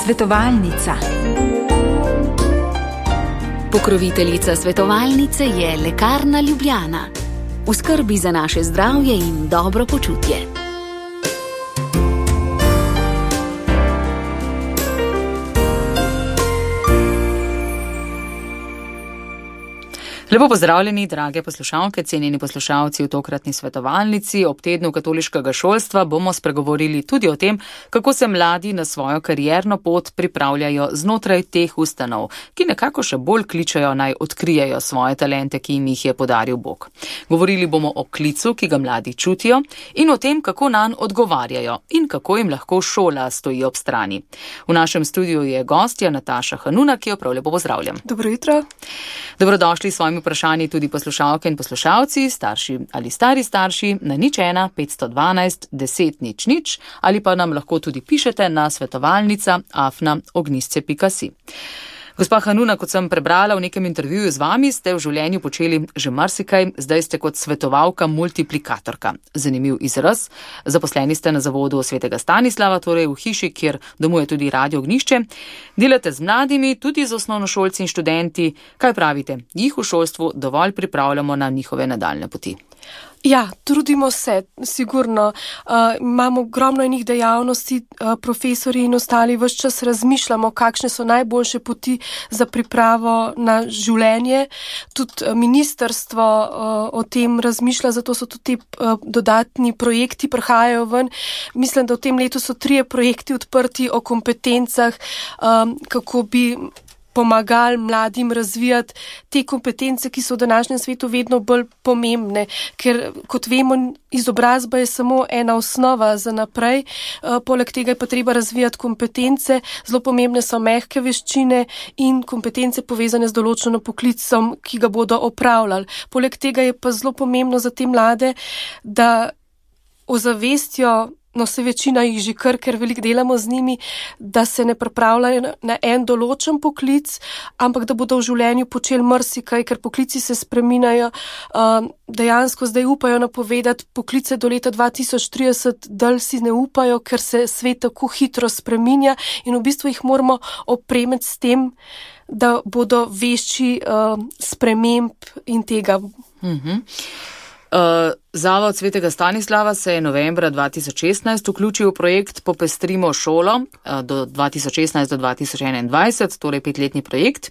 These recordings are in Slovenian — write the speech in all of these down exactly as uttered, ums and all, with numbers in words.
Svetovalnica. Pokroviteljica svetovalnice je Lekarna Ljubljana. V skrbi za naše zdravje in dobro počutje. Lepo pozdravljeni, drage poslušalke, cenjeni poslušalci v tokratni svetovalnici. Ob tednu katoliškega šolstva bomo spregovorili tudi o tem, kako se mladi na svojo karierno pot pripravljajo znotraj teh ustanov, ki nekako še bolj kličejo naj odkrijejo svoje talente, ki jim jih je podaril Bog. Govorili bomo o klicu, ki ga mladi čutijo, in o tem, kako nanj odgovarjajo in kako jim lahko šola stoji ob strani. V našem studiu je gostja Nataša Hanuna, ki jo prav lepo pozdravljam. Dobro jutro. Dobrodošli s svojimi vprašanji tudi poslušalke in poslušalci, starši ali stari starši na nič ena petsto dvanajst deset nič nič ali pa nam lahko tudi pišete na svetovalnica afna ognjisce pika si. Gospa Hanuna, kot sem prebrala v nekem intervjuju z vami, ste v življenju počeli že marsikaj, zdaj ste kot svetovalka multiplikatorka. Zanimiv izraz. Zaposleni ste na zavodu Svetega Stanislava, torej v hiši, kjer domuje tudi Radio Ognjišče. Delate z mladimi, tudi z osnovnošolci in študenti. Kaj pravite? Jih v šolstvu dovolj pripravljamo na njihove nadaljne poti? Ja, trudimo se, sigurno. Uh, imamo ogromno enih dejavnosti, uh, profesori in ostali vse čas razmišljamo, kakšne so najboljše poti za pripravo na življenje. Tudi ministrstvo uh, o tem razmišlja, zato so tudi te uh, dodatni projekti prihajajo ven. Mislim, da v tem letu so trije projekti odprti o kompetencah, um, kako bi pomagali mladim razvijati te kompetence, ki so v današnjem svetu vedno bolj pomembne, ker kot vemo, izobrazba je samo ena osnova za naprej, poleg tega je pa treba razvijati kompetence, zelo pomembne so mehke veščine in kompetence povezane z določeno poklicom, ki ga bodo opravljali. Poleg tega je pa zelo pomembno za te mlade, da ozavestijo, no se večina jih že kar, ker veliko delamo z njimi, da se ne pripravljajo na en določen poklic, ampak da bodo v življenju počeli marsikaj, ker poklici se spreminjajo. Dejansko zdaj upajo napovedati poklice do leta dva tisoč trideset, dalj si ne upajo, ker se svet tako hitro spreminja in v bistvu jih moramo opremiti s tem, da bodo vešči sprememb in tega. Mhm. Uh, Zavod Svetega Stanislava se je novembra dva tisoč šestnajst vključil v projekt Popestrimo šolo uh, do dva tisoč šestnajst do dva tisoč enaindvajset, torej petletni projekt,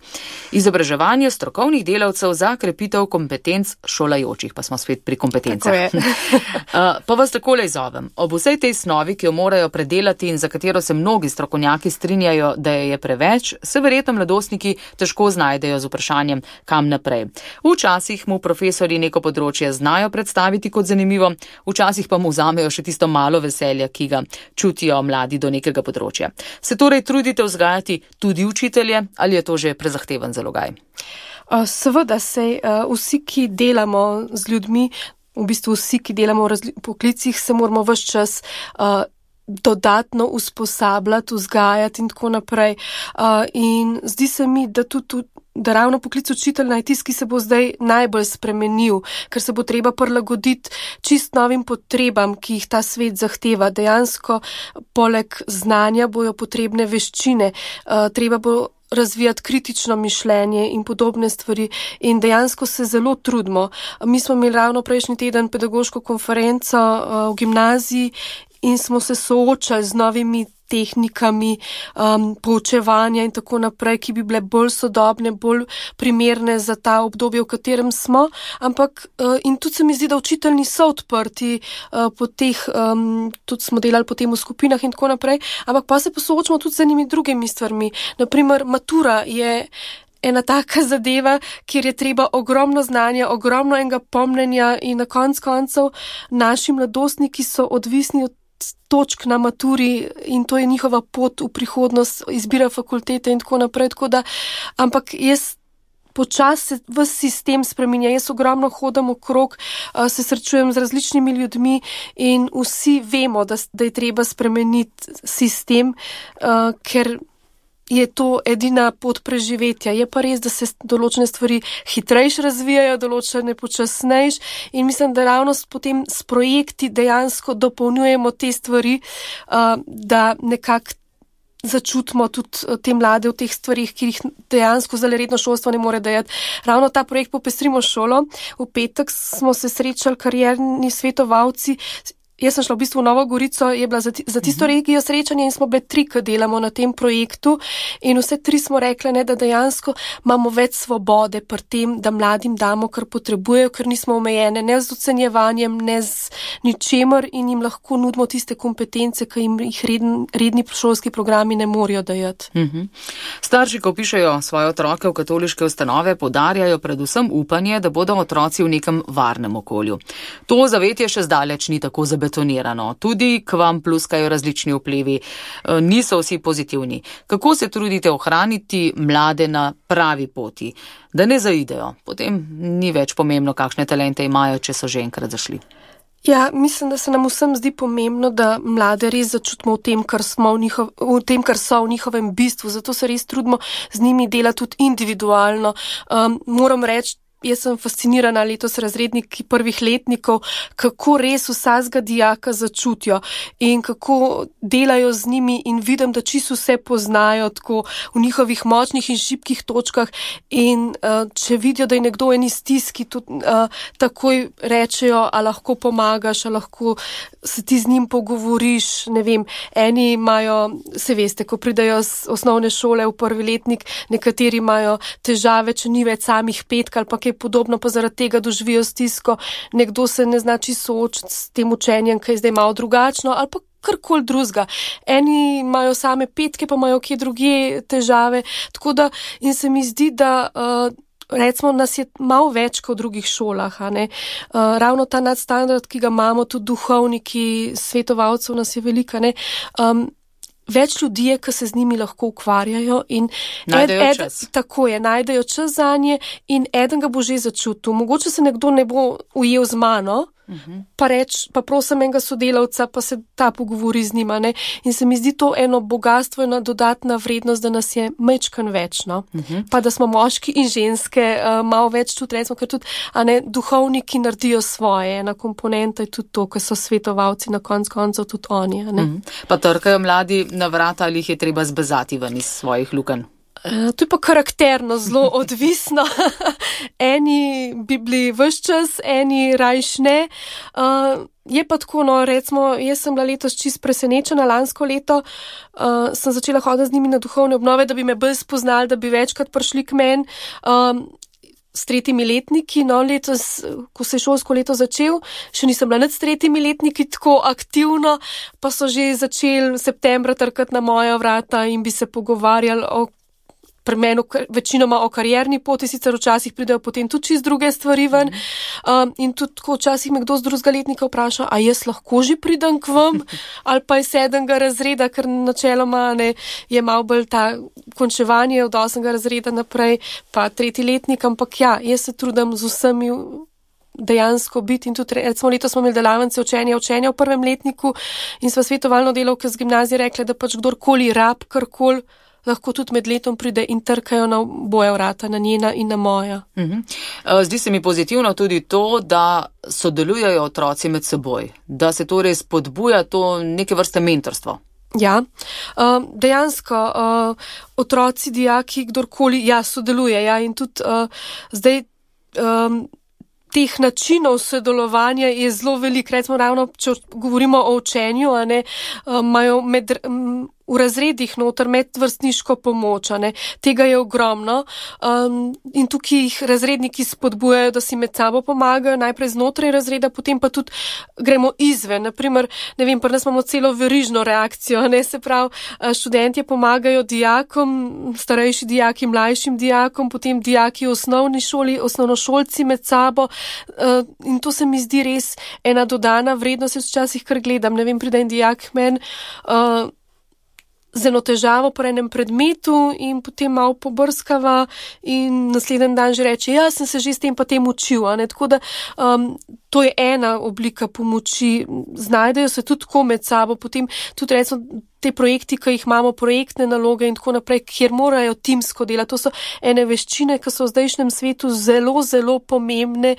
izobraževanje strokovnih delavcev za krepitev kompetenc šolajočih, pa smo spet pri kompetencah. uh, pa vas takole izzovem. Ob vsej tej snovi, ki jo morajo predelati in za katero se mnogi strokovnjaki strinjajo, da je preveč, se verjetno mladostniki težko znajdejo z vprašanjem, kam naprej. Včasih mu profesori neko področje znajo predstaviti kot zanimivo, včasih pa mu vzamejo še tisto malo veselja, ki ga čutijo mladi do nekega področja. Se torej trudite vzgajati tudi učitelje ali je to že prezahteven zalogaj? Seveda se vsi, ki delamo z ljudmi, v bistvu vsi, ki delamo v razli- poklicih, se moramo ves čas uh, dodatno usposabljati, vzgajati in tako naprej. Uh, in zdi se mi, da tudi da ravno poklic učitelja je tisti, ki se bo zdaj najbolj spremenil, ker se bo treba prilagoditi čist novim potrebam, ki jih ta svet zahteva. Dejansko poleg znanja bojo potrebne veščine, uh, treba bo razvijati kritično mišljenje in podobne stvari in dejansko se zelo trudimo. Mi smo imeli ravno prejšnji teden pedagoško konferenco uh, v gimnaziji in smo se soočali z novimi tehnikami um, poučevanja in tako naprej, ki bi bile bolj sodobne, bolj primerne za ta obdobje, v katerem smo, ampak uh, in tudi se mi zdi, da učitelji niso odprti uh, po teh, um, tudi smo delali potem v skupinah in tako naprej, ampak pa se posoočamo tudi z enimi drugimi stvarmi. Naprimer, matura je ena taka zadeva, kjer je treba ogromno znanja, ogromno enega pomnenja in na konc koncev naši mladostniki so odvisni od točk na maturi in to je njihova pot v prihodnost, izbira fakultete in tako naprej, tako da, ampak jaz počasi se ves sistem spreminja, jaz ogromno hodam okrog, se srečujem z različnimi ljudmi in vsi vemo, da, da je treba spremeniti sistem, ker je to edina pot preživetja. Je pa res, da se določene stvari hitrejš razvijajo, določene počasnejš in mislim, da ravno potem s projekti dejansko dopolnjujemo te stvari, da nekako začutimo tudi te mlade v teh stvarih, ki jih dejansko zdaj redno šolstvo ne more dajati. Ravno ta projekt Popestrimo šolo. V petek smo se srečali karierni svetovalci. Jaz sem šla v bistvu v Novo Gorico, je bila za, za tisto regijo srečanje in smo bile tri, ki delamo na tem projektu in vse tri smo rekli, ne, da dejansko imamo več svobode pri tem, da mladim damo, kar potrebujejo, ker nismo omejene ne z ocenjevanjem, ne z ničemer in jim lahko nudimo tiste kompetence, ki jim jih redn, redni šolski programi ne morejo dajati. Mhm. Starši, ko pišejo svoje otroke v katoliške ustanove, poudarjajo predvsem upanje, da bodo otroci v nekem varnem okolju. To zavetje še zdaleč ni tako zabetonirano. Betonirano. Tudi k vam pluskajo različni vplivi, niso vsi pozitivni. Kako se trudite ohraniti mlade na pravi poti, da ne zaidejo? Potem ni več pomembno, kakšne talente imajo, če so že enkrat zašli. Ja, mislim, da se nam vsem zdi pomembno, da mlade res začutimo v tem, kar smo v, njihov, v tem, kar so v njihovem bistvu. Zato se res trudimo z njimi delati tudi individualno. Um, moram reči, jaz sem fascinirana letos razredniki prvih letnikov, kako res vsakega dijaka začutijo in kako delajo z njimi in vidim, da čisto vse poznajo tako v njihovih močnih in šibkih točkah in uh, če vidijo, da je nekdo eni stiski, tudi uh, takoj rečejo, a lahko pomagaš, a lahko se ti z njim pogovoriš, ne vem, eni imajo, se veste, ko pridajo z osnovne šole v prvi letnik, nekateri imajo težave, če ni več samih petk ali pa kaj podobno, pa zaradi tega doživijo stisko, nekdo se ne znači soočiti s tem učenjem, ki je zdaj malo drugačno, ali pa karkoli drugega. Eni imajo same petke, pa imajo kje drugje težave, tako da in se mi zdi, da uh, recimo nas je malo več kot v drugih šolah, a ne. Uh, ravno ta nadstandard, ki ga imamo, tudi duhovniki, svetovalcev nas je velika, ne. Um, Več ljudi je, ki se z njimi lahko ukvarjajo in najdejo ed, ed, čas. Tako je, najdejo čas zanje in eden ga bo že začutil. Mogoče se nekdo ne bo ujel z mano, uh-huh. pa reč, pa prosim enega sodelavca, pa se ta pogovori z njima, ne. In se mi zdi to eno bogatstvo, ena dodatna vrednost, da nas je majčkan več, no. Uh-huh. Pa da smo moški in ženske uh, malo več tudi, recimo, ker tudi, a ne, duhovniki naredijo svoje, ena komponenta je tudi to, ker so svetovalci na konc koncev tudi oni, a ne. Uh-huh. Pa trkajo mladi na vrata ali jih je treba zbezati ven iz svojih lukenj? Uh, to je pa karakterno zelo odvisno. Eni bi bili ves čas, eni rajš ne. Uh, je pa tako, no, recimo, jaz sem bila letos čist presenečena, lansko leto uh, sem začela hoditi z njimi na duhovne obnove, da bi me bolj spoznali, da bi večkrat prišli k meni. Um, s tretjimi letniki, no, letos, ko se je šolsko leto začel, še nisem bila nič s tretjimi letniki tako aktivno, pa so že začeli septembra trkati na moja vrata in bi se pogovarjali o pri meni večinoma o karierni poti, sicer včasih pridejo potem tudi čist druge stvari ven. Um, in tudi, ko včasih me kdo z drugega letnika vpraša, a jaz lahko že pridem k vam, ali pa iz sedmega razreda, ker načeloma ne, je malo bolj ta končevanje od osmega razreda naprej, pa tretji letnik, ampak ja, jaz se trudim z vsemi dejansko biti in tudi, recimo letos smo imeli delavnice učenja, učenja v prvem letniku in sva svetovalno delavke z gimnazije rekla, da pač kdorkoli rab, karkoli, lahko tudi med letom pride in trkajo na boja vrata, na njena in na moja. Uh-huh. Zdi se mi pozitivno tudi to, da sodelujejo otroci med seboj, da se torej spodbuja to neke vrste mentorstvo. Ja, uh, dejansko uh, otroci, dijaki, kdorkoli, ja, sodeluje, ja, in tudi uh, zdaj um, teh načinov sodelovanja je zelo veliko, recimo ravno, če govorimo o učenju, a ne, imajo uh, med um, v razredih noter medvrstniško pomoč, ne, tega je ogromno um, in tukaj jih razredniki spodbujajo, da si med sabo pomagajo, najprej znotraj razreda, potem pa tudi gremo izven, naprimer, ne vem, pa nas imamo celo verižno reakcijo, ne, se pravi, študentje pomagajo dijakom, starejši dijaki, mlajšim dijakom, potem dijaki v osnovni šoli, osnovnošolci med sabo uh, in to se mi zdi res ena dodana vrednost, jaz včasih kar gledam, ne vem, pride en dijak men, uh, z eno težavo po enem predmetu in potem malo pobrskava in naslednji dan že reče, ja, sem se že s tem pa tem učil, a ne, tako da um, to je ena oblika pomoči. Znajdejo se tudi tako med sabo, potem tudi recimo te projekti, ki jih imamo, projektne naloge in tako naprej, kjer morajo timsko delati. To so ene veščine, ki so v zdajšnjem svetu zelo, zelo pomembne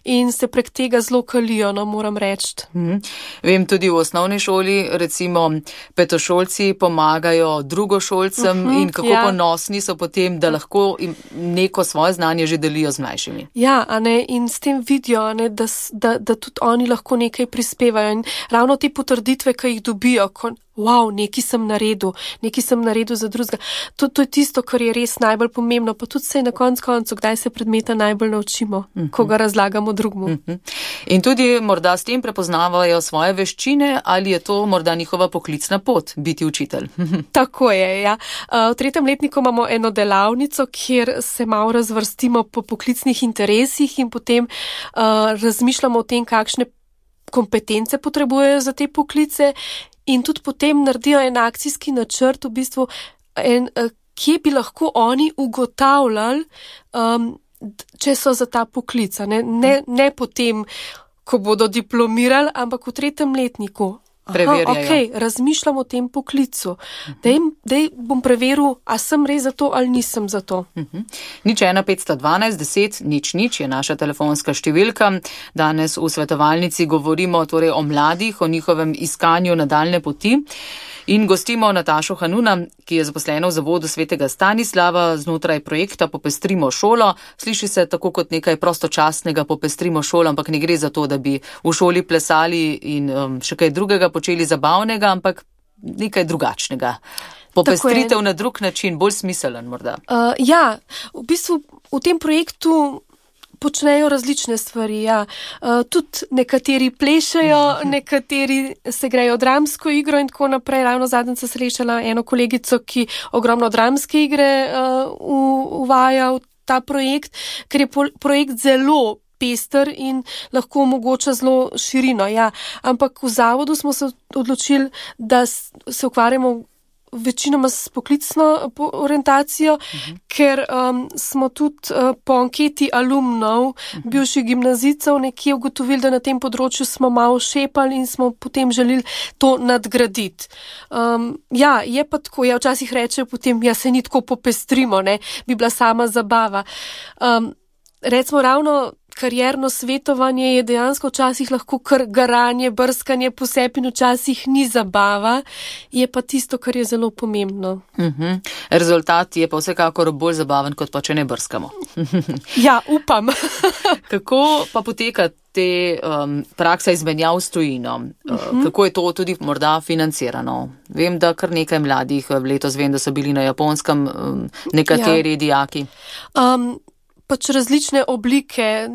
in se prek tega zelo kalijo, no, moram reči. Hmm. Vem, tudi v osnovni šoli, recimo, petošolci pomagajo drugošolcem uh-huh, in kako ja. Ponosni so potem, da lahko neko svoje znanje že delijo z mlajšimi. Ja, a ne, in s tem vidijo, a ne, da, da, da tudi oni lahko nekaj prispevajo in ravno te potrditve, ki jih dobijo, ko wow, nekaj sem naredil, nekaj sem naredil za drugega. To, to je tisto, kar je res najbolj pomembno, pa tudi se na konc koncu, kdaj se predmeta najbolj naučimo, uh-huh. ko ga razlagamo drugmu. Uh-huh. In tudi morda s tem prepoznavajo svoje veščine, ali je to morda njihova poklicna pot, biti učitelj. Tako je, ja. V tretjem letniku imamo eno delavnico, kjer se malo razvrstimo po poklicnih interesih in potem uh, razmišljamo o tem, kakšne kompetence potrebujejo za te poklice. In tudi potem naredijo en akcijski načrt, v bistvu, en, kje bi lahko oni ugotavljali, um, če so za ta poklic. Ne, ne, ne potem, ko bodo diplomirali, ampak v tretjem letniku. Aha, ok, razmišljam o tem poklicu. Dej, dej bom preveril, a sem res za to ali nisem za to. Uh-huh. Nič ena petsto dvanajst deset, nič nič je naša telefonska številka. Danes v svetovalnici govorimo torej o mladih, o njihovem iskanju nadaljne poti. In gostimo Natašo Hanuna, ki je zaposlena v Zavodu svetega Stanislava znotraj projekta Popestrimo šolo. Sliši se tako kot nekaj prostočasnega Popestrimo šolo, ampak ne gre za to, da bi v šoli plesali in um, še kaj drugega počeli zabavnega, ampak nekaj drugačnega. Popestritev na drug način, bolj smiselen morda. Uh, ja, v bistvu v tem projektu počnejo različne stvari, ja. Uh, tudi nekateri plešejo, nekateri se grejo dramsko igro in tako naprej. Ravno zadnjič sem srečala eno kolegico, ki ogromno dramske igre uh, uvaja v ta projekt, ker je po- projekt zelo pester in lahko omogoča zelo širino, ja. Ampak v zavodu smo se odločili, da se ukvarjamo večinoma s poklicno orientacijo, uh-huh. ker um, smo tudi uh, po anketi alumnov, uh-huh. bivših gimnazijcev, nekje ugotovili, da na tem področju smo malo šepali in smo potem želeli to nadgraditi. Um, ja, je pa tako, ja, včasih rečejo potem, ja, se ni tako popestrimo, ne, bi bila sama zabava. Um, recimo ravno karierno svetovanje je dejansko včasih lahko kar garanje, brskanje po sebi in včasih ni zabava, je pa tisto, kar je zelo pomembno. Uh-huh. Rezultat je pa vsekakor bolj zabaven, kot pa če ne brskamo. Ja, upam. Kako pa poteka te um, praksa izmenjav s tujino? Uh-huh. Kako je to tudi morda financirano? Vem, da kar nekaj mladih letos vem, da so bili na Japonskem um, nekateri ja. dijaki. Um, pač različne oblike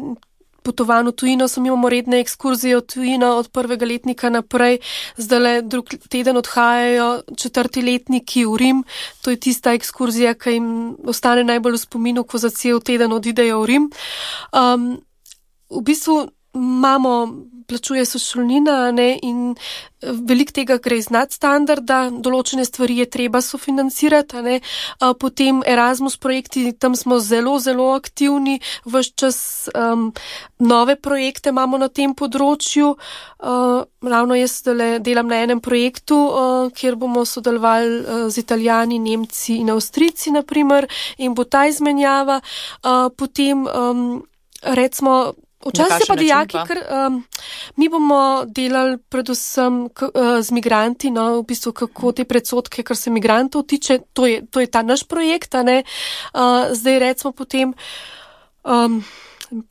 potovanj v tujino, so imamo redne ekskurzije v tujino od prvega letnika naprej, zdajle drug teden odhajajo četrti letniki v Rim, to je tista ekskurzija, ki jim ostane najbolj v spominu, ko za cel teden odidejo v Rim. Um, v bistvu imamo, plačuje se šolnina, ne, in veliko tega gre iz nadstandarda, določene stvari je treba sofinancirati, ne, a potem Erasmus projekti, tam smo zelo, zelo aktivni, ves čas um, nove projekte imamo na tem področju, uh, ravno jaz delam na enem projektu, uh, kjer bomo sodelovali uh, z Italijani, Nemci in Avstrijci, naprimer, in bo ta izmenjava, uh, potem um, recimo včasih se pa dijaki, ker um, mi bomo delali predvsem k, uh, z migranti, no, v bistvu kako te predsodke, kar se migrantov tiče, to je, to je ta naš projekt, a ne, uh, zdaj recimo potem, um,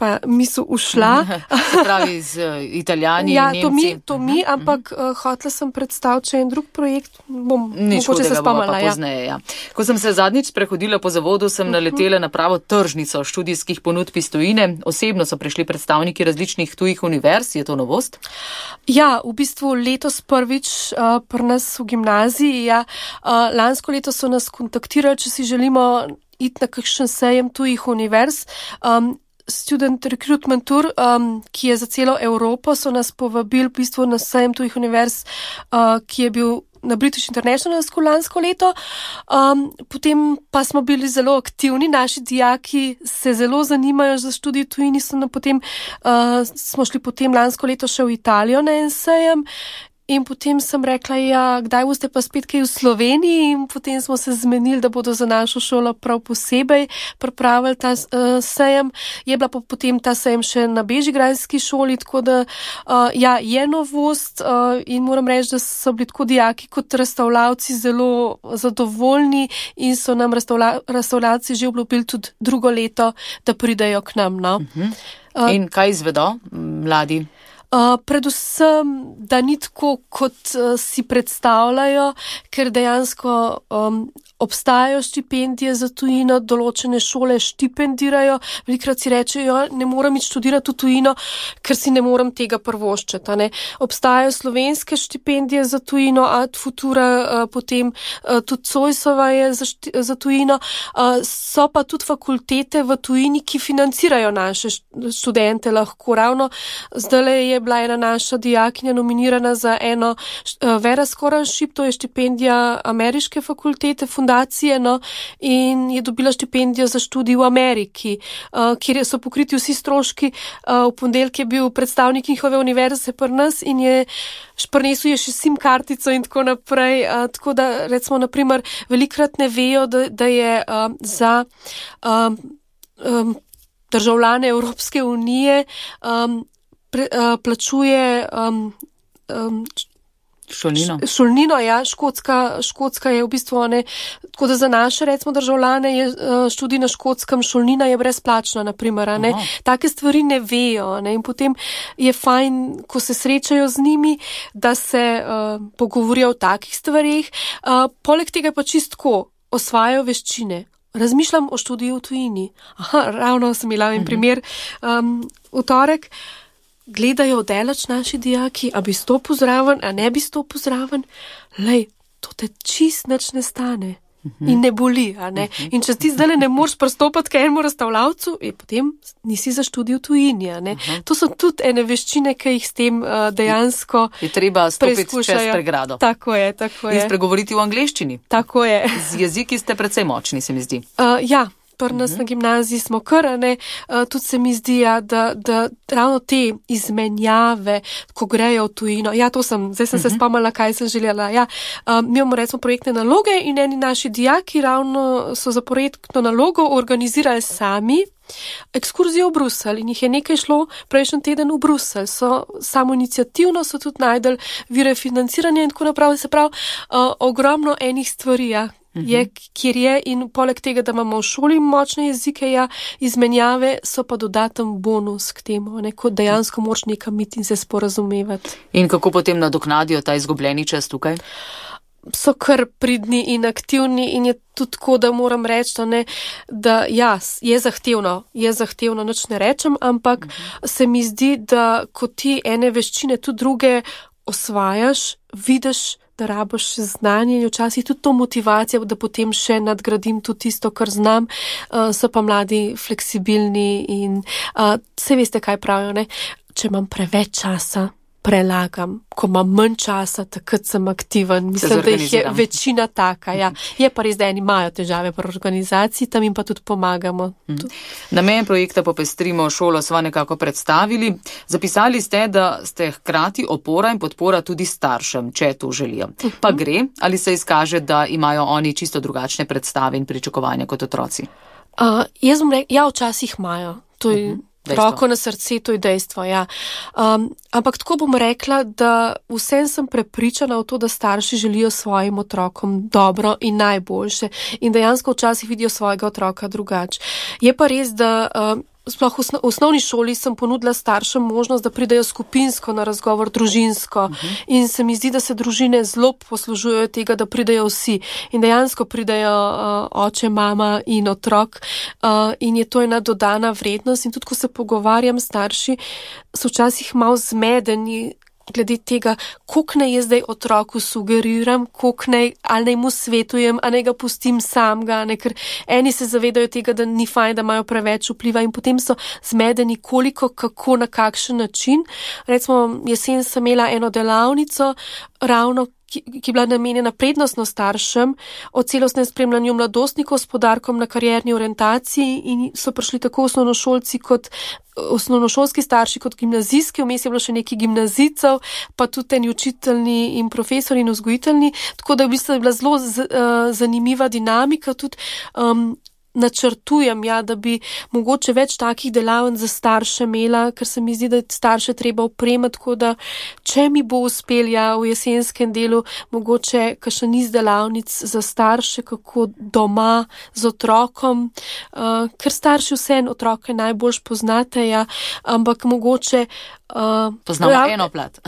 pa misel ušla. Se pravi z uh, Italijani ja, in Nemci. To mi, to mi, uh-huh. ampak uh, hotela sem predstaviti še en drug projekt, bom mogoče se spomnila. Ja. Pozneje, ja. Ko sem se zadnjič prehodila po zavodu, sem uh-huh. naletela na pravo tržnico študijskih ponudb iz tujine. Osebno so prišli predstavniki različnih tujih univerz, je to novost? Ja, v bistvu letos prvič uh, pri nas v gimnaziji, ja, uh, lansko leto so nas kontaktirali, če si želimo iti na kakšen sejem tujih univerz. Um, Student Recruitment Tour, um, ki je za celo Evropo, so nas povabili v bistvu na sejem tujih univerz, uh, ki je bil na British International School lansko leto, um, potem pa smo bili zelo aktivni, naši dijaki se zelo zanimajo za študij v tujini, so na potem, uh, smo šli potem lansko leto še v Italijo na en sejem. In potem sem rekla, ja, kdaj boste pa spet kaj v Sloveniji, in potem smo se zmenili, da bodo za našo šolo prav posebej pripravili ta uh, sejem. Je bila pa potem ta sejem še na bežigrajski šoli, tako da uh, ja, je novost uh, in moram reči, da so bili tako dijaki kot razstavljavci zelo zadovoljni in so nam razstavlja, razstavljavci že obljubili tudi drugo leto, da pridejo k nam. No? Uh-huh. Uh, in kaj izvedo mladi? Uh, predvsem, da ni tako, kot uh, si predstavljajo, ker dejansko um, obstajajo štipendije za tujino, določene šole štipendirajo, velikrat si rečejo, ne moram iti študirati v tujino, ker si ne moram tega prvoščiti. Ne? Obstajajo slovenske štipendije za tujino, Ad Futura, uh, potem uh, tudi Zoisova je za, šti, za tujino, uh, so pa tudi fakultete v tujini, ki financirajo naše študente lahko. Ravno zdaj je bila ena naša dijakinja nominirana za eno uh, Vera Scholarship, to je štipendija ameriške fakultete, fundacije, no, in je dobila štipendijo za študij v Ameriki, uh, kjer so pokriti vsi stroški. Uh, v ponedeljek je bil predstavnik njihove univerze pri nas in je prinesel je še sim kartico in tako naprej. Uh, tako da, recimo, naprimer, velikrat ne vejo, da, da je uh, za um, um, državljane Evropske unije um, pre, uh, plačuje um, um, Šolnino. Šolnino, ja, škotska, škotska je v bistvu, ne, tako da za naše, recimo, državljane je študij na Škotskem, šolnina je brezplačna, naprimer, ne. Take stvari ne vejo, ne, in potem je fajn, ko se srečajo z njimi, da se uh, pogovorijo o takih stvarih. Uh, poleg tega pa čistko osvajajo veščine. Razmišljam o študiju v tujini. Aha, ravno sem imela en primer um, v torek. Gledajo delač naši dijaki, a bi stopil zraven, a ne bi stopil zraven. Lej, to te čist nič ne stane. Uh-huh. In ne boli, a ne. Uh-huh. In če ti zdaj ne moreš pristopati k enemu razstavljavcu, je potem nisi za študij v tujini, a ne. Uh-huh. To so tudi ene veščine, ki jih s tem uh, dejansko je treba stopiti čez pregrado. Tako je, tako je. In spregovoriti v angleščini. Tako je. Z jeziki ste precej močni, se mi zdi. Uh, ja. Pri nas uh-huh. na gimnaziji smo kar, ne, uh, tudi se mi zdi, ja, da, da ravno te izmenjave, ko grejo v tujino, ja, to sem, zdaj sem uh-huh. se spomnila, kaj sem želela, ja, uh, mi imamo recimo projektne naloge in eni naši dijaki ravno so za projektno nalogo organizirali sami ekskurzijo v Bruselj in jih je nekaj šlo prejšnji teden v Bruselj. So samo iniciativno, so tudi najdel vire financiranja in tako naprej, se pravi, uh, ogromno enih stvari, ja. Je, kjer je, in poleg tega, da imamo v šoli močne jezike, ja, izmenjave so pa dodaten bonus k temu, ne, kot dejansko moraš nekam iti in se sporazumevati. In kako potem nadoknadijo ta izgubljeni čas tukaj? So kar pridni in aktivni in je tudi tako, da moram reči, ne, da ja, je zahtevno, je zahtevno, nič ne rečem, ampak uh-huh. se mi zdi, da ko ti ene veščine tudi druge osvajaš, vidiš, da raboš znanje in včasih tudi to motivacijo, da potem še nadgradim tudi tisto, kar znam, uh, so pa mladi fleksibilni in uh, vse veste, kaj pravijo, ne? Če imam preveč časa, prelagam, ko imam manj časa, takrat sem aktiven. Mislim, da jih je večina taka, ja. Je pa res, da eni imajo težave pri organizaciji, tam jim pa tudi pomagamo. Hmm. Namen projekta Popestrimo šolo sva nekako predstavili. Zapisali ste, da ste hkrati opora in podpora tudi staršem, če to želijo. Pa gre, ali se izkaže, da imajo oni čisto drugačne predstave in pričakovanja kot otroci? Uh, jaz bom rekel, ja, včasih imajo. To je uh-huh. Roko na srce, to je dejstvo, ja. Um, ampak tako bom rekla, da vsem sem prepričana v to, da starši želijo svojim otrokom dobro in najboljše in dejansko včasih vidijo svojega otroka drugače. Je pa res, da um, sploh v osnovni šoli sem ponudila staršem možnost, da pridejo skupinsko na razgovor, družinsko. Uh-huh. In se mi zdi, da se družine zelo poslužujejo tega, da pridejo vsi. In dejansko pridejo uh, oče, mama in otrok. Uh, in je to ena dodana vrednost. In tudi, ko se pogovarjam s starši, so včasih malo zmedeni glede tega, koliko naj jaz zdaj otroku sugeriram, koliko naj, ali naj mu svetujem, ali naj ga pustim samega, ne, ker eni se zavedajo tega, da ni fajn, da imajo preveč vpliva in potem so zmedeni, koliko, kako, na kakšen način. Recimo, jesen sem imela eno delavnico, ravno ki, ki je bila namenjena prednostno staršem, o celostnem spremljanju mladostnikov s poudarkom na karierni orientaciji in so prišli tako osnovnošolci kot osnovnošolski starši kot gimnazijski, vmes je bilo še neki gimnazijcev, pa tudi eni učiteljni in profesori in vzgojiteljni, tako da v bistvu je bila zelo z, uh, zanimiva dinamika, tudi um, načrtujem, ja, da bi mogoče več takih delavnic za starše imela, ker se mi zdi, da je starše treba opremati, tako da če mi bo uspel, ja, v jesenskem delu mogoče kakšen niz delavnic za starše, kako doma z otrokom, uh, ker starši vseeno otroke najbolj poznate, ja, ampak mogoče Uh, Poznamo ja, eno plat.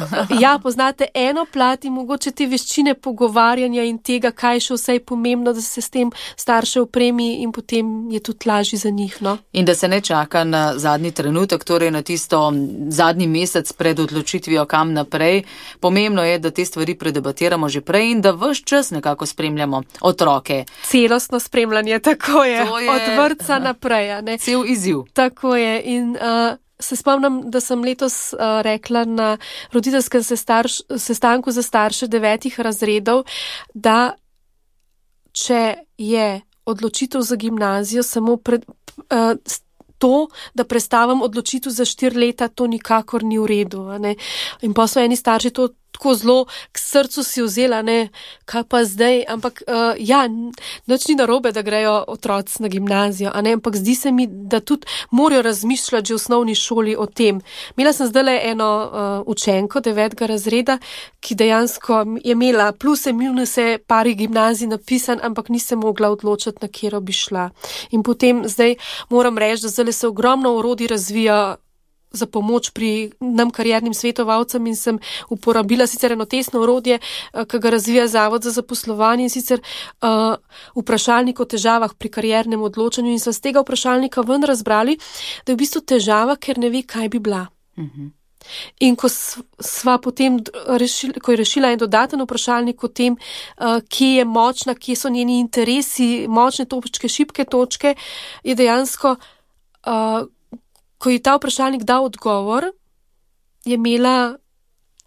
Ja, poznate eno plat in mogoče te veščine pogovarjanja in tega, kaj še vse je pomembno, da se s tem starše opremi in potem je tudi lažje za njih. No? In da se ne čaka na zadnji trenutek, torej na tisto zadnji mesec pred odločitvijo kam naprej. Pomembno je, da te stvari predebatiramo že prej in da ves čas nekako spremljamo otroke. Celostno spremljanje, tako je, je... od vrtca naprej. Ne? Cel izziv. Tako je in uh, se spomnim, da sem letos uh, rekla na roditeljskem sestarš, sestanku za starše devetih razredov, da če je odločitev za gimnazijo samo pred, uh, to, da prestavim odločitev za štiri leta, to nikakor ni v redu. Ne? In pa so eni starši to tako zelo k srcu si vzela, ne, kaj pa zdaj, ampak uh, ja, nič ni narobe, da grejo otroci na gimnazijo, a ne, ampak zdi se mi, da tudi morajo razmišljati že v osnovni šoli o tem. Imela sem zdajle eno uh, učenko devetega razreda, ki dejansko je imela pluse, minuse, pari gimnazij napisan, ampak ni se mogla odločiti, na kjero bi šla. In potem zdaj moram reči, da zdaj se ogromno orodij razvija za pomoč pri nam kariernim svetovalcem in sem uporabila sicer eno testno orodje, ki ga razvija Zavod za zaposlovanje in sicer uh, vprašalnik o težavah pri kariernem odločanju in so z tega vprašalnika ven razbrali, da je v bistvu težava, ker ne ve, kaj bi bila. Uh-huh. In ko sva potem rešila, ko je rešila en dodaten vprašalnik o tem, uh, kje je močna, kje so njeni interesi, močne točke, šibke točke, je dejansko uh, ko je ta vprašalnik dal odgovor, je imela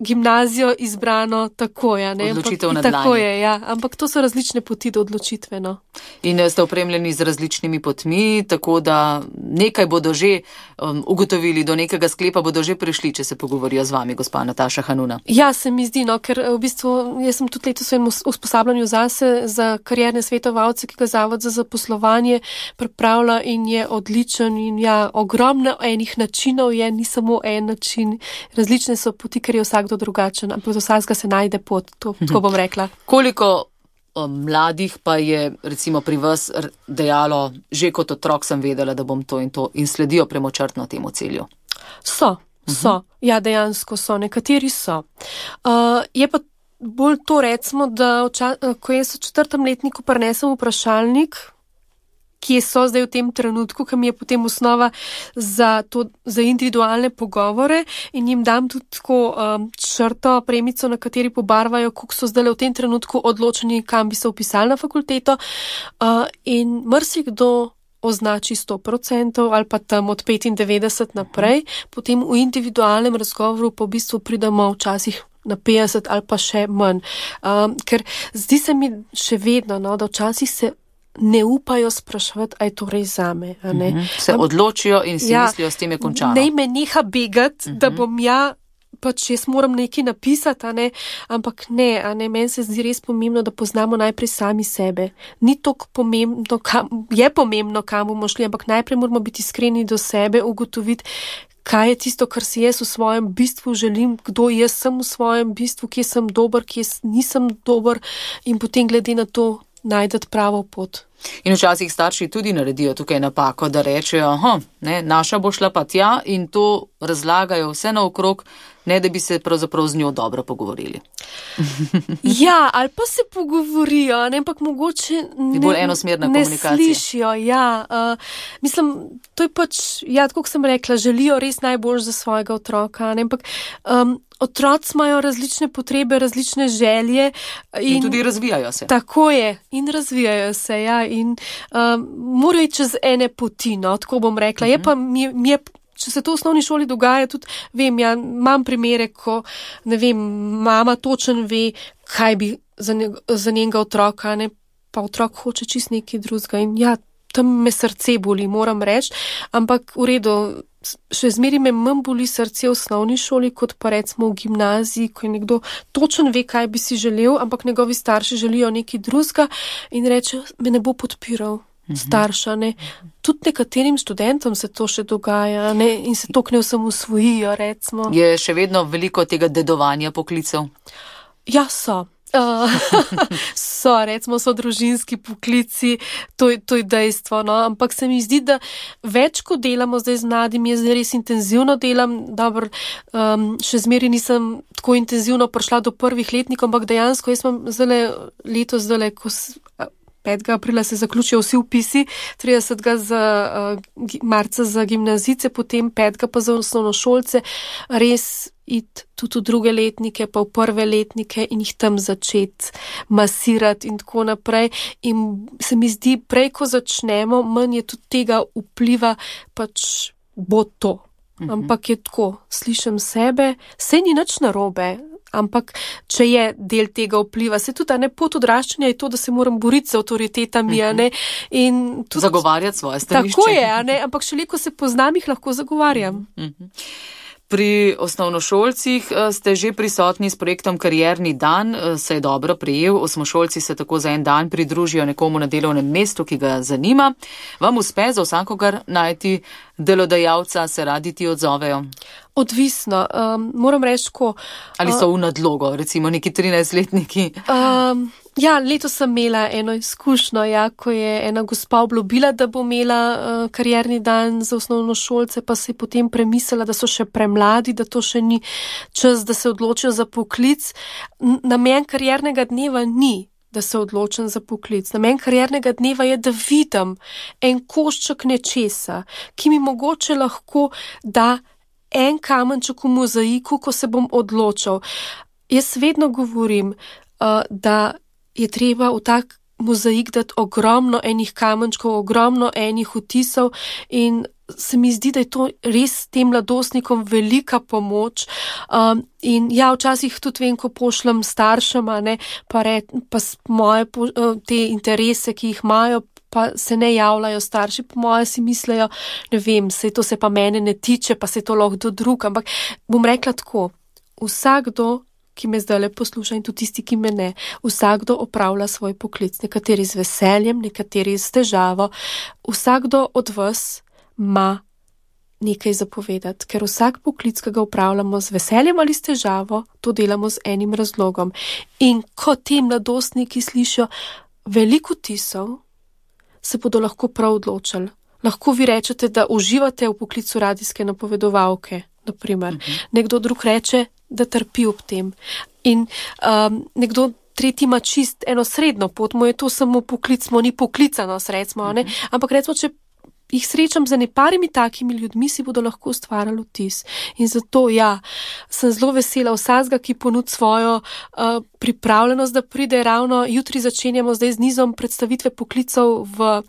gimnazijo izbrano tako, ja, ne? Odločitev na tako dlani. Je, ja, ampak to so različne poti do odločitve, no. In ste opremljeni z različnimi potmi, tako da nekaj bodo že um, ugotovili, do nekega sklepa bodo že prišli, če se pogovorijo z vami, gospa Nataša Hanuna. Ja, se mi zdi, no, ker v bistvu jaz sem tudi letos v enem usposabljanju zase za karierne svetovalce, ki ga Zavod za zaposlovanje pripravlja in je odličen in ja, ogromno enih načinov je, ni samo en način, različne so poti, ker je vsak drugačen, ampak do vsakega se najde pot, to, tako bom rekla. Koliko o, mladih pa je recimo pri vas dejalo, že kot otrok sem vedela, da bom to in to in sledijo premočrtno temu cilju? So, so, uh-huh. Ja, dejansko so, nekateri so. Uh, je pa bolj to recimo, da oča, ko jaz v četrtem letniku prinesem vprašalnik, kje so zdaj v tem trenutku, ki mi je potem osnova za, to, za individualne pogovore in jim dam tudi tako um, črto, premico, na kateri pobarvajo, koliko so zdaj v tem trenutku odločeni, kam bi se upisali na fakulteto uh, in marsikdo označi sto procentov ali pa tam od petindevetdeset naprej, potem v individualnem razgovoru pa v bistvu pridemo včasih na petdeset ali pa še manj. Um, ker zdi se mi še vedno, no, da včasih se ne upajo spraševati, a je to res zame. A ne? Uh-huh. Se odločijo in si ja, mislijo, s tem je končano. Ne me neha begati, uh-huh. da bom ja, pač jaz moram nekaj napisati, a ne, ampak ne, a ne, meni se zdi res pomembno, da poznamo najprej sami sebe. Ni toliko pomembno, kam, je pomembno, kam bomo šli, ampak najprej moramo biti iskreni do sebe, ugotoviti, kaj je tisto, kar si jaz v svojem bistvu želim, kdo jaz sem v svojem bistvu, kje sem dober, kje nisem dober in potem glede na to najdete pravo pot. In včasih starši tudi naredijo tukaj napako, da rečejo, aha, ne, naša bo šla pa tja in to razlagajo vse naokrog, ne da bi se pravzaprav z njo dobro pogovorili. Ja, ali pa se pogovorijo, ne, ampak mogoče ne, bolj enosmerna ne komunikacija. Slišijo, ja. Uh, mislim, to je pač, ja, tako sem rekla, želijo res najbolj za svojega otroka, ne, ampak um, otroci imajo različne potrebe, različne želje. In, in tudi razvijajo se. Tako je, in razvijajo se, ja, in um, morajo čez ene poti, no, tako bom rekla. Uh-huh. Je pa, mi, mi je če se to v osnovni šoli dogaja, tudi vem, ja, imam primere, ko, ne vem, mama točen ve, kaj bi za, njeg, za njenega otroka, ne, pa otrok hoče čist nekaj drugega in ja, tam me srce boli, moram reči, ampak v redu, še zmeri me manj boli srce v osnovni šoli, kot pa recimo v gimnaziji, ko je nekdo točen ve, kaj bi si želel, ampak njegovi starši želijo nekaj drugega in reče, me ne bo podpiral starša, ne. Tudi nekaterim študentom se to še dogaja, ne, in se to k ne osamosvojijo, recimo. Je še vedno veliko tega dedovanja poklicev? Ja, so. Uh, so, recimo, so družinski poklici, to, to je dejstvo, no, ampak se mi zdi, da več, ko delamo zdaj z mladimi, jaz res intenzivno delam, dobro, um, še zmeri nisem tako intenzivno prišla do prvih letnikov, ampak dejansko jaz imam zdaj letos, zdaj ko petega aprila se zaključijo vsi vpisi, tridesetega za uh, marca za gimnazice, potem petega pa za osnovnošolce, res iti tudi v druge letnike, pa v prve letnike in jih tam začeti masirati in tako naprej. In se mi zdi, prej, ko začnemo, manj je tudi tega vpliva, pač bo to. Mhm. Ampak je tako, slišim sebe, sej ni nič narobe, ampak če je del tega vpliva, se tudi, a ne, pot odraščanja je to, da se moram boriti z avtoritetami, a ne, in tudi zagovarjati svoje stališče. Tako je, a ne, ampak šele, ko se poznam, jih lahko zagovarjam. Mhm. Pri osnovnošolcih ste že prisotni s projektom Karierni dan, se je dobro prijel, osmošolci se tako za en dan pridružijo nekomu na delovnem mestu, ki ga zanima. Vam uspe za vsakogar najti delodajalca, se radi ti odzovejo? Odvisno, um, moram reči, ko... Ali so v nadlogo, recimo neki trinajstletniki? Um, ja, letos sem imela eno izkušnjo, ja, ko je ena gospa obljubila, da bo imela uh, karierni dan za osnovnošolce, pa se je potem premislila, da so še premladi, da to še ni čas, da se odločijo za poklic. Namen kariernega dneva ni, da se odločim za poklic. Namen kariernega dneva je, da vidim en košček nečesa, ki mi mogoče lahko da en kamenček v mozaiku, ko se bom odločil. Jaz vedno govorim, uh, da je treba v tak mozaik dati ogromno enih kamenčkov, ogromno enih vtisov in se mi zdi, da je to res tem mladostnikom velika pomoč. Um, in ja, včasih tudi vem, ko pošljem staršema, ne, pa, re, pa moje te interese, ki jih imajo, pa se ne javljajo starši, po moje si mislejo, ne vem, sej to se pa mene ne tiče, pa se to lahko do drug, ampak bom rekla tako, vsakdo, ki me zdaj le posluša in tudi tisti, ki me ne, vsakdo opravlja svoj poklic, nekateri z veseljem, nekateri z težavo, vsakdo od vas ima nekaj zapovedati, ker vsak poklic, ki ga upravljamo z veseljem ali s težavo, to delamo z enim razlogom. In ko ti mladostniki slišijo veliko vtisov, se bodo lahko prav odločili. Lahko vi rečete, da uživate v poklicu radijske napovedovalke, naprimer. Uh-huh. Nekdo drug reče, da trpi ob tem. In um, nekdo tretji ima čist eno srednjo pot, mu je to samo poklic, mu ni poklicanost, recimo, uh-huh. ne? Ampak recimo, če jih srečam za neparimi takimi ljudmi, si bodo lahko ustvarjali vtis. In zato, ja, sem zelo vesela vsakega, ki ponudi svojo uh, pripravljenost, da pride ravno jutri začenjamo zdaj z nizom predstavitve poklicov v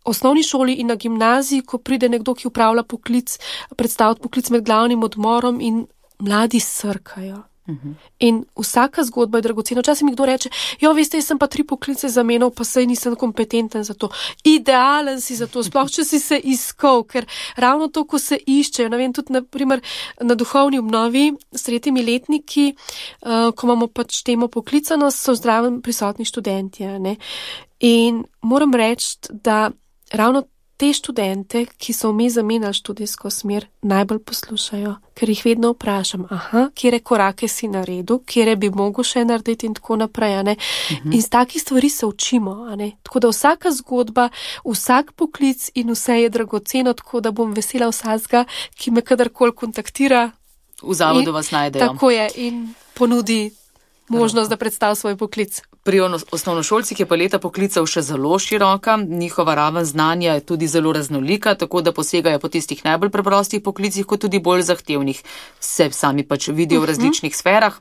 osnovni šoli in na gimnaziji, ko pride nekdo, ki upravlja poklic, predstaviti poklic med glavnim odmorom in mladi srkajo. Uh-huh. In vsaka zgodba je dragocena. Včasih mi kdo reče, jo, veste, jaz sem pa tri poklice zamenjal, pa saj nisem kompetenten za to. Idealen si za to, sploh če si se iskal, ker ravno to, ko se iščejo, ne vem, tudi naprimer na duhovni obnovi s tretjimi letniki, uh, ko imamo pač temo poklicanost, so zdravo prisotni študentje, ne. In moram reči, da ravno te študente, ki so vmes zamenjali študijsko smer, najbolj poslušajo, ker jih vedno vprašam, aha, kjere korake si naredil, kjere bi mogel še narediti in tako naprej, a ne. Uh-huh. In z takih stvari se učimo, a ne. Tako da vsaka zgodba, vsak poklic in vse je dragoceno, tako da bom vesela vsakega, ki me kadarkoli kontaktira. V zavodu in, vas najdejo. Tako je, in ponudi možnost, da predstavi svoj poklic. Pri osnovnošolcih je paleta poklicev še zelo široka, njihova raven znanja je tudi zelo raznolika, tako da posegajo po tistih najbolj preprostih poklicih, kot tudi bolj zahtevnih. Se sami pač vidijo v različnih sferah.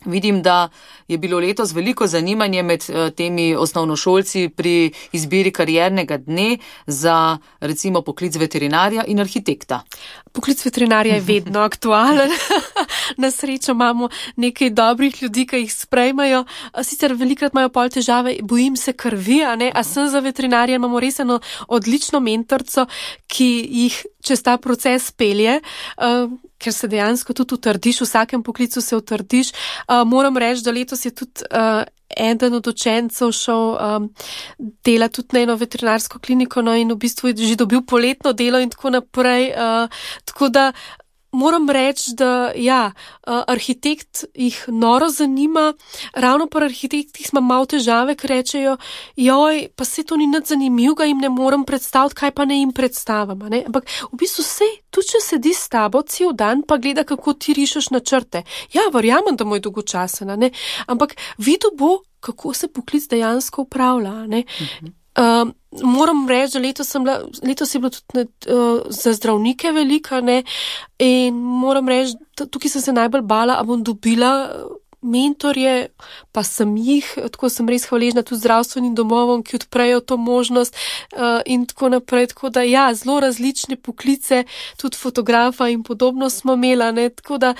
Vidim, da je bilo letos veliko zanimanje med temi osnovnošolci pri izbiri kariernega dne za recimo poklic veterinarja in arhitekta. Poklic veterinarja je vedno aktualen. Na srečo imamo nekaj dobrih ljudi, ki jih sprejmajo. Sicer velikrat imajo pol težave, bojim se krvi, a ne? A sem za veterinarja, imamo res eno odlično mentorco, ki jih čez ta proces pelje, uh, ker se dejansko tudi utrdiš, v vsakem poklicu se utrdiš. Uh, moram reči, da letos je tudi uh, eden od učencev šel um, dela tudi na eno veterinarsko kliniko, no, in v bistvu je že dobil poletno delo in tako naprej. Uh, tako da moram reči, da ja, arhitekt jih noro zanima, ravno pa arhitektih ima malo težave, ker rečejo, joj, pa se to ni nič zanimivega, jim ne morem predstaviti, kaj pa ne jim predstavim. Ne? Ampak v bistvu se, tudi če sedi s tabo cel dan, pa gleda, kako ti rišeš načrte. Ja, verjamem, da mu je dolgočasena, ne? Ampak videl bo, kako se poklic dejansko upravlja. Ne? Mhm. Uh, moram reči, da letos, sem bila, letos je bilo tudi uh, za zdravnike velika, ne, in moram reči, da tukaj sem se najbolj bala, a bom dobila mentorje, pa sem jih, tako sem res hvaležna tudi zdravstvenim domovom, ki odprejo to možnost uh, in tako naprej, tako da ja, zelo različne poklice, tudi fotografa in podobno smo imela, ne, tako da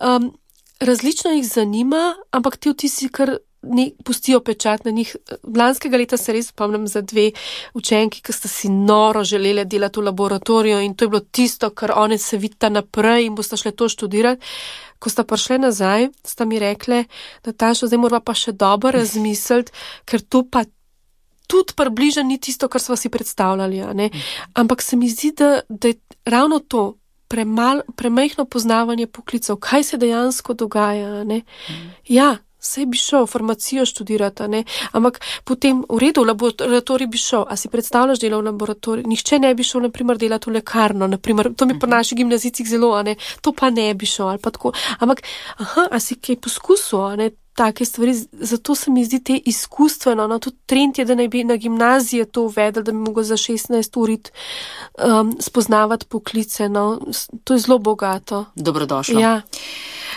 um, različno jih zanima, ampak ti vtisi kar ne pustijo pečat na njih. Lanskega leta se res spomnim za dve učenki, ki sta si noro želeli delati v laboratoriju in to je bilo tisto, kar one se vidita naprej in bosta šle to študirati. Ko sta prišle nazaj, sta mi rekle, Nataša, zdaj morava pa še dobro razmisliti, ker to pa tudi približa ni tisto, kar sva si predstavljali. Ne? Ampak se mi zdi, da, da je ravno to, premal, premajhno poznavanje poklicov, kaj se dejansko dogaja. Ne? Ja, saj bi šel farmacijo študirati, ne? Ampak potem v redu v laboratorij bi šel, a si predstavljaš delo v laboratoriju? Nihče ne bi šel, naprimer, delati v lekarno, naprimer, to mi po naših gimnazicih zelo, a ne, to pa ne bi šel, ali pa tako. Ampak, aha, a si kaj poskusil, a ne, take stvari, zato se mi zdi te izkustveno, no, tudi trend je, da naj bi na gimnazije to uvedel, da bi mogel za šestnajst urit um, spoznavati poklice, no, to je zelo bogato. Dobrodošlo. Ja.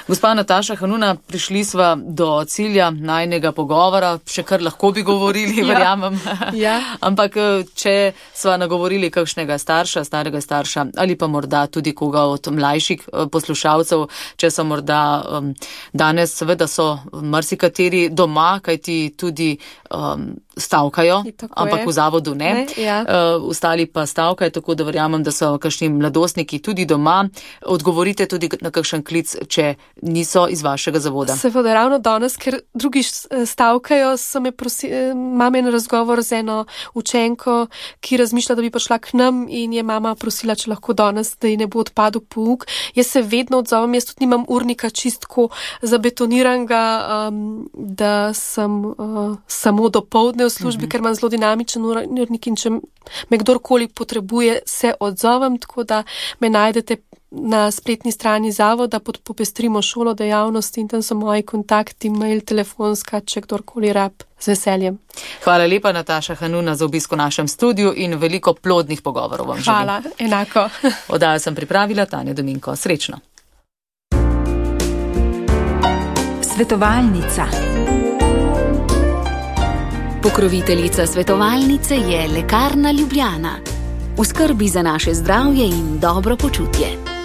Gospa Nataša Hanuna, prišli sva do cilja najnega pogovora, še kar lahko bi govorili, verjamem. Ja. Ampak, če sva nagovorili kakšnega starša, starega starša, ali pa morda tudi koga od mlajših poslušalcev, če so morda um, danes, seveda so marsikateri doma, kajti tudi um, stavkajo, ampak v zavodu ne. ne ja. uh, ostali pa stavkajo, tako da verjamem, da so kakšni mladostniki tudi doma. Odgovorite tudi na kakšen klic, če niso iz vašega zavoda. Seveda, ravno danes, ker drugi stavkajo, so me prosili, imam en razgovor z eno učenko, ki razmišlja, da bi prišla k nam in je mama prosila, če lahko danes, da ji ne bo odpadel pouk. Jaz se vedno odzovem, jaz tudi nimam urnika čistko zabetoniranega, um, da sem uh, samo do povdne v službi, uh-huh. ker imam zelo dinamičen urnik in če me kdorkoli potrebuje, se odzovem, tako da me najdete na spletni strani zavoda pod Popestrimo šolo dejavnosti in tam so moji kontakti, mail, telefonska, če kdorkoli rab, z veseljem. Hvala lepa, Nataša Hanuna, za obisk v našem studiu in veliko plodnih pogovorov vam želim. Hvala, enako. Oddajo sem pripravila, Tanja Dominko. Srečno. Svetovalnica. Pokroviteljica svetovalnice je Lekarna Ljubljana. V skrbi za naše zdravje in dobro počutje.